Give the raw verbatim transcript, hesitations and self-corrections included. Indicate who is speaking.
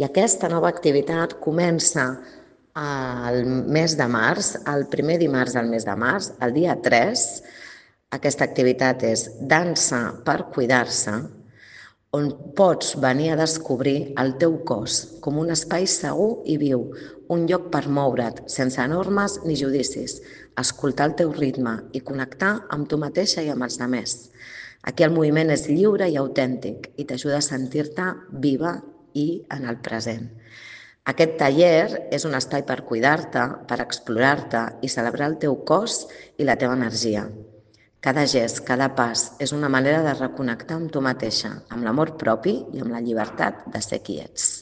Speaker 1: I aquesta nova activitat comença al mes de març, el primer dimarts del mes de març, el dia tres. Aquesta activitat és Dansa per cuidar-se, on pots venir a descobrir el teu cos com un espai segur i viu, un lloc per moure't sense normes ni judicis, escoltar el teu ritme i connectar amb tu mateixa i amb els altres. Aquí el moviment és lliure i autèntic i t'ajuda a sentir-te viva i en el present. Aquest taller és un espai per cuidar-te, per explorar-te i celebrar el teu cos i la teva energia. Cada gest, cada pas és una manera de reconnectar amb tu mateixa, amb l'amor propi i amb la llibertat de ser qui ets.